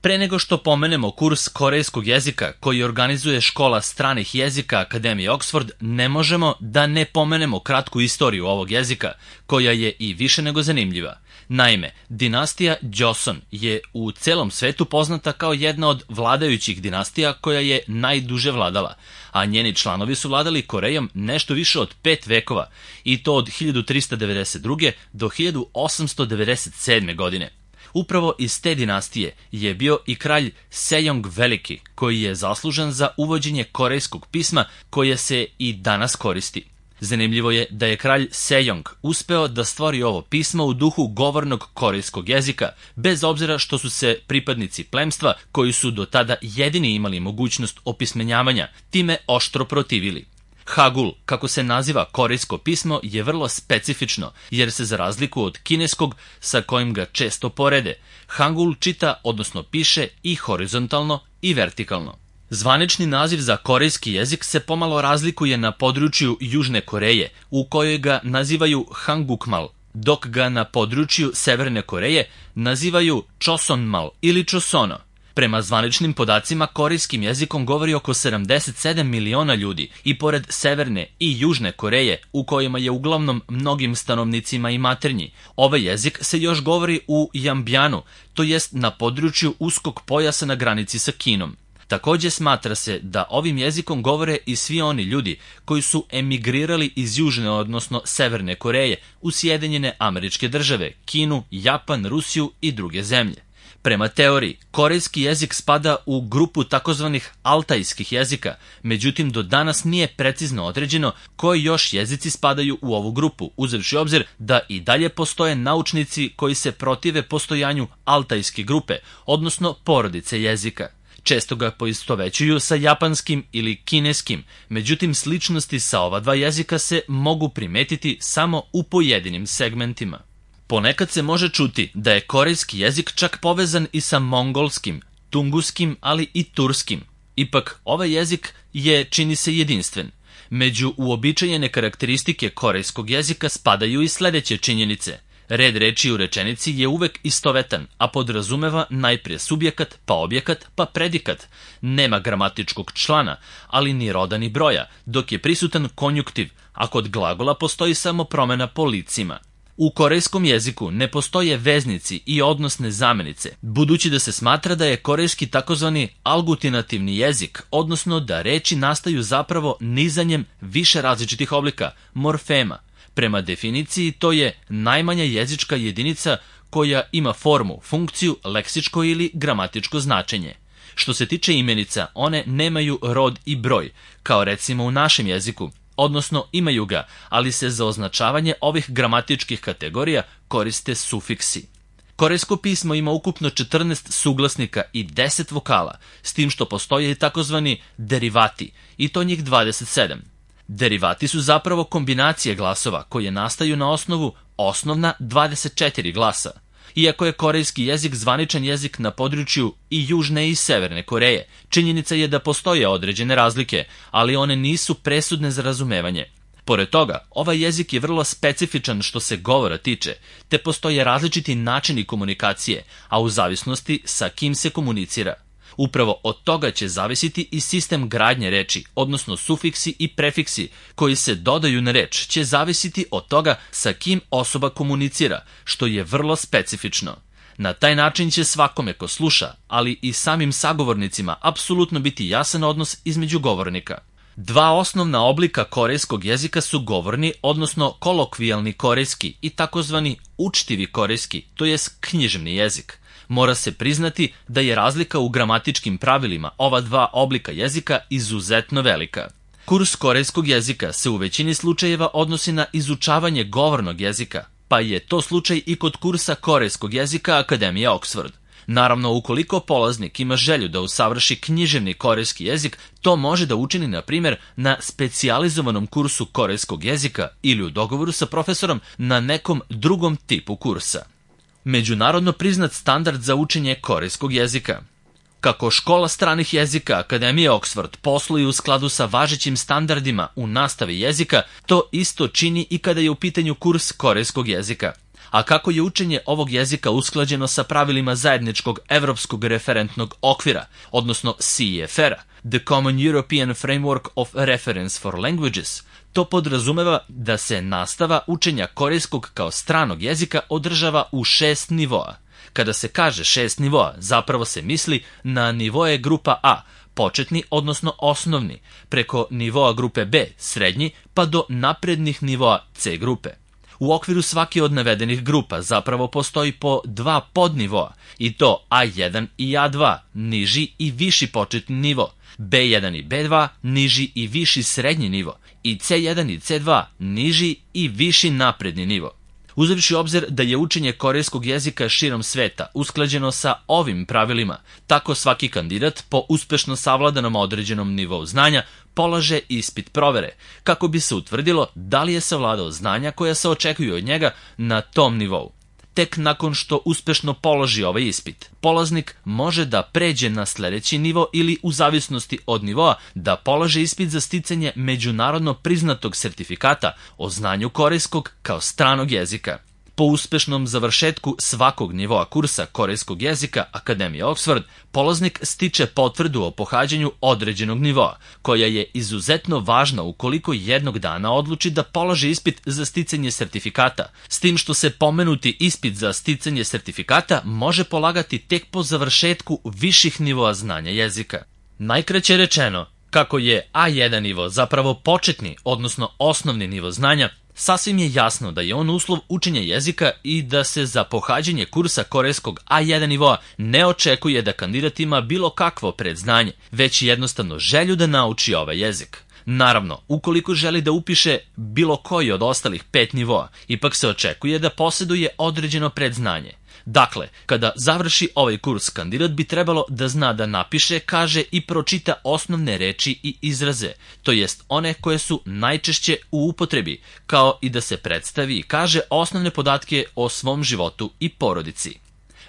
Pre nego što pomenemo kurs korejskog jezika koji organizuje Škola stranih jezika Akademije Oxford, ne možemo da ne pomenemo kratku istoriju ovog jezika, koja je i više nego zanimljiva. Naime, dinastija Joseon je u celom svetu poznata kao jedna od vladajućih dinastija koja je najduže vladala, a njeni članovi su vladali Korejom nešto više od 5 vekova, i to od 1392. do 1897. godine. Upravo iz te dinastije je bio i kralj Sejong Veliki, koji je zaslužan za uvođenje korejskog pisma koje se i danas koristi. Zanimljivo je da je kralj Sejong uspeo da stvori ovo pismo u duhu govornog korejskog jezika, bez obzira što su se pripadnici plemstva, koji su do tada jedini imali mogućnost opismenjavanja, time oštro protivili. Hagul, kako se naziva korejsko pismo, je vrlo specifično, jer se za razliku od kineskog, sa kojim ga često porede, Hangul čita, odnosno piše i horizontalno i vertikalno. Zvanični naziv za korejski jezik se pomalo razlikuje na području Južne Koreje, u kojoj ga nazivaju Hangukmal, dok ga na području Severne Koreje nazivaju Chosonmal ili Chosono. Prema zvaničnim podacima, korejskim jezikom govori oko 77 miliona ljudi i pored Severne i Južne Koreje, u kojima je uglavnom mnogim stanovnicima i maternji, ovaj jezik se još govori u Jambjanu, to jest na području uskog pojasa na granici sa Kinom. Takođe smatra se da ovim jezikom govore i svi oni ljudi koji su emigrirali iz Južne, odnosno Severne Koreje u Sjedinjene Američke Države, Kinu, Japan, Rusiju i druge zemlje. Prema teoriji, korejski jezik spada u grupu takozvanih altajskih jezika, međutim do danas nije precizno određeno koji još jezici spadaju u ovu grupu, uzevši obzir da i dalje postoje naučnici koji se protive postojanju altajske grupe, odnosno porodice jezika. Često ga poistovećuju sa japanskim ili kineskim, međutim sličnosti sa ova dva jezika se mogu primetiti samo u pojedinim segmentima. Ponekad se može čuti da je korejski jezik čak povezan i sa mongolskim, tunguskim, ali i turskim. Ipak, ovaj jezik je, čini se, jedinstven. Među uobičajene karakteristike korejskog jezika spadaju i sledeće činjenice. Red reči u rečenici je uvek istovetan, a podrazumeva najprije subjekat, pa objekat, pa predikat. Nema gramatičkog člana, ali ni roda ni broja, dok je prisutan konjuktiv, a kod glagola postoji samo promena po licima. U korejskom jeziku ne postoje veznici i odnosne zamenice, budući da se smatra da je korejski takozvani algutinativni jezik, odnosno da reči nastaju zapravo nizanjem više različitih oblika, morfema. Prema definiciji to je najmanja jezička jedinica koja ima formu, funkciju, leksičko ili gramatičko značenje. Što se tiče imenica, one nemaju rod i broj, kao recimo u našem jeziku, odnosno imaju ga, ali se za označavanje ovih gramatičkih kategorija koriste sufiksi. Korejsko pismo ima ukupno 14 suglasnika i 10 vokala, s tim što postoje i takozvani derivati, i to njih 27. Derivati su zapravo kombinacije glasova koje nastaju na osnovu osnovna 24 glasa. Iako je korejski jezik zvaničan jezik na području i Južne i Severne Koreje, činjenica je da postoje određene razlike, ali one nisu presudne za razumevanje. Pored toga, ovaj jezik je vrlo specifičan što se govora tiče, te postoje različiti načini komunikacije, a u zavisnosti sa kim se komunicira. Upravo od toga će zavisiti i sistem gradnje reči, odnosno sufiksi i prefiksi koji se dodaju na reč će zavisiti od toga sa kim osoba komunicira, što je vrlo specifično. Na taj način će svakome ko sluša, ali i samim sagovornicima apsolutno biti jasan odnos između govornika. Dva osnovna oblika korejskog jezika su govorni, odnosno kolokvijalni korejski i takozvani učtivi korejski, to jest književni jezik. Mora se priznati da je razlika u gramatičkim pravilima ova dva oblika jezika izuzetno velika. Kurs korejskog jezika se u većini slučajeva odnosi na izučavanje govornog jezika, pa je to slučaj i kod kursa korejskog jezika Akademije Oxford. Naravno, ukoliko polaznik ima želju da usavrši književni korejski jezik, to može da učini, na primjer, na specijalizovanom kursu korejskog jezika ili u dogovoru sa profesorom na nekom drugom tipu kursa. Međunarodno priznat standard za učenje korejskog jezika. Kako Škola stranih jezika Akademije Oxford posluje u skladu sa važećim standardima u nastavi jezika, to isto čini i kada je u pitanju kurs korejskog jezika. A kako je učenje ovog jezika usklađeno sa pravilima zajedničkog evropskog referentnog okvira, odnosno CEFR-a, The Common European Framework of Reference for Languages, to podrazumeva da se nastava učenja korejskog kao stranog jezika održava u 6 nivoa. Kada se kaže 6 nivoa, zapravo se misli na nivoe grupa A, početni odnosno osnovni, preko nivoa grupe B, srednji, pa do naprednih nivoa C grupe. U okviru svake od navedenih grupa zapravo postoji po 2 podnivoa, i to A1 i A2, niži i viši početni nivo, B1 i B2, niži i viši srednji nivo, i C1 i C2, niži i viši napredni nivo. Uzevši obzir da je učenje korejskog jezika širom sveta usklađeno sa ovim pravilima, tako svaki kandidat po uspešno savladanom određenom nivou znanja polaže ispit provere, kako bi se utvrdilo da li je savladao znanja koja se očekuju od njega na tom nivou. Tek nakon što uspešno položi ovaj ispit, polaznik može da pređe na sledeći nivo ili, u zavisnosti od nivoa, da polaže ispit za sticanje međunarodno priznatog sertifikata o znanju korejskog kao stranog jezika. Po uspešnom završetku svakog nivoa kursa korejskog jezika Akademije Oxford, polaznik stiče potvrdu o pohađanju određenog nivoa, koja je izuzetno važna ukoliko jednog dana odluči da položi ispit za sticanje sertifikata, s tim što se pomenuti ispit za sticanje sertifikata može polagati tek po završetku viših nivoa znanja jezika. Najkraće rečeno, kako je A1 nivo zapravo početni, odnosno osnovni nivo znanja, sasvim je jasno da je on uslov učenja jezika i da se za pohađanje kursa korejskog A1 nivoa ne očekuje da kandidat ima bilo kakvo predznanje, već jednostavno želju da nauči ovaj jezik. Naravno, ukoliko želi da upiše bilo koji od ostalih 5 nivoa, ipak se očekuje da posjeduje određeno predznanje. Dakle, kada završi ovaj kurs, kandidat bi trebalo da zna da napiše, kaže i pročita osnovne reči i izraze, to jest one koje su najčešće u upotrebi, kao i da se predstavi i kaže osnovne podatke o svom životu i porodici.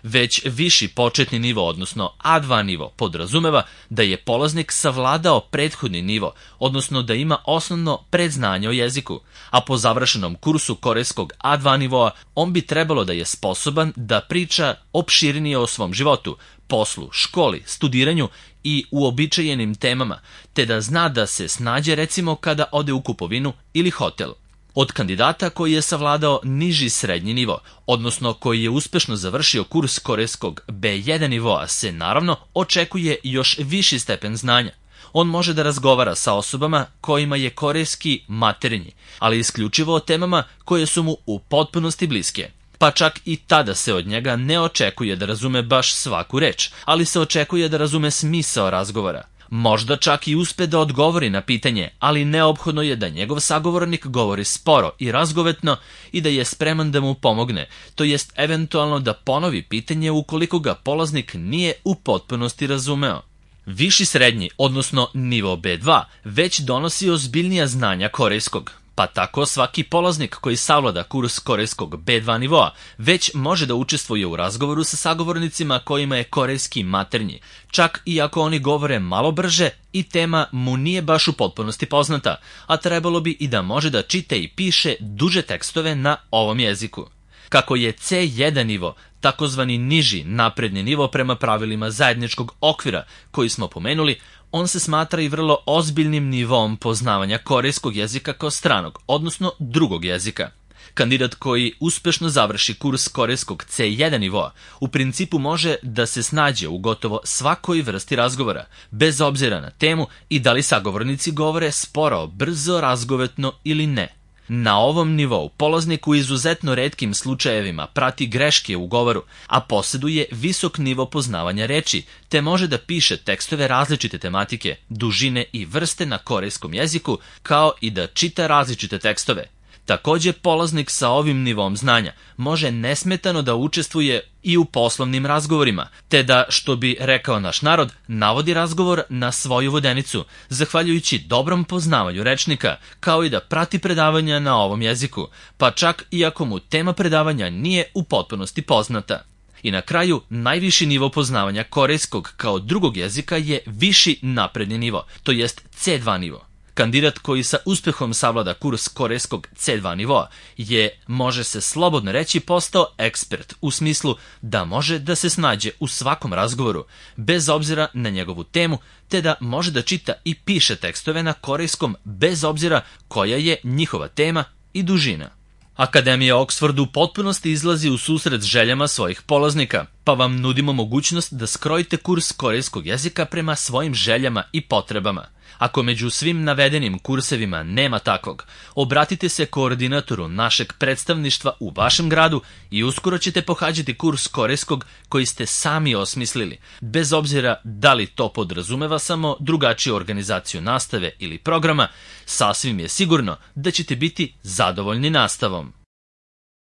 Već viši početni nivo, odnosno A2 nivo, podrazumeva da je polaznik savladao prethodni nivo, odnosno da ima osnovno predznanje o jeziku, a po završenom kursu korejskog A2 nivoa on bi trebalo da je sposoban da priča opširnije o svom životu, poslu, školi, studiranju i uobičajenim temama, te da zna da se snađe recimo kada ode u kupovinu ili hotel. Od kandidata koji je savladao niži srednji nivo, odnosno koji je uspešno završio kurs korejskog B1 nivoa, se naravno očekuje još viši stepen znanja. On može da razgovara sa osobama kojima je korejski maternji, ali isključivo o temama koje su mu u potpunosti bliske. Pa čak i tada se od njega ne očekuje da razume baš svaku reč, ali se očekuje da razume smisao razgovora. Možda čak i uspe da odgovori na pitanje, ali neophodno je da njegov sagovornik govori sporo i razgovetno i da je spreman da mu pomogne, to jest eventualno da ponovi pitanje ukoliko ga polaznik nije u potpunosti razumeo. Viši srednji, odnosno nivo B2, već donosi ozbiljnija znanja korejskog. Pa tako svaki polaznik koji savlada kurs korejskog B2 nivoa već može da učestvuje u razgovoru sa sagovornicima kojima je korejski maternji, čak i ako oni govore malo brže i tema mu nije baš u potpunosti poznata, a trebalo bi i da može da čita i piše duže tekstove na ovom jeziku. Kako je C1 nivo, takozvani niži napredni nivo prema pravilima zajedničkog okvira koji smo pomenuli, on se smatra i vrlo ozbiljnim nivom poznavanja korejskog jezika kao stranog, odnosno drugog jezika. Kandidat koji uspešno završi kurs korejskog C1 nivoa u principu može da se snađe u gotovo svakoj vrsti razgovora, bez obzira na temu i da li sagovornici govore sporo, brzo, razgovetno ili ne. Na ovom nivou polaznik u izuzetno retkim slučajevima prati greške u govoru, a posjeduje visok nivo poznavanja reči, te može da piše tekstove različite tematike, dužine i vrste na korejskom jeziku, kao i da čita različite tekstove. Takođe, polaznik sa ovim nivom znanja može nesmetano da učestvuje i u poslovnim razgovorima, te da, što bi rekao naš narod, navodi razgovor na svoju vodenicu, zahvaljujući dobrom poznavanju rečnika, kao i da prati predavanja na ovom jeziku, pa čak i ako mu tema predavanja nije u potpunosti poznata. I na kraju, najviši nivo poznavanja korejskog kao drugog jezika je viši napredni nivo, to jest C2 nivo. Kandidat koji sa uspehom savlada kurs korejskog C2 nivoa je, može se slobodno reći, postao ekspert u smislu da može da se snađe u svakom razgovoru, bez obzira na njegovu temu, te da može da čita i piše tekstove na korejskom bez obzira koja je njihova tema i dužina. Akademija Oxford u potpunosti izlazi u susret željama svojih polaznika, pa vam nudimo mogućnost da skrojite kurs korejskog jezika prema svojim željama i potrebama. Ako među svim navedenim kursevima nema takvog, obratite se koordinatoru našeg predstavništva u vašem gradu i uskoro ćete pohađati kurs korejskog koji ste sami osmislili, bez obzira da li to podrazumeva samo drugačiju organizaciju nastave ili programa, sasvim je sigurno da ćete biti zadovoljni nastavom.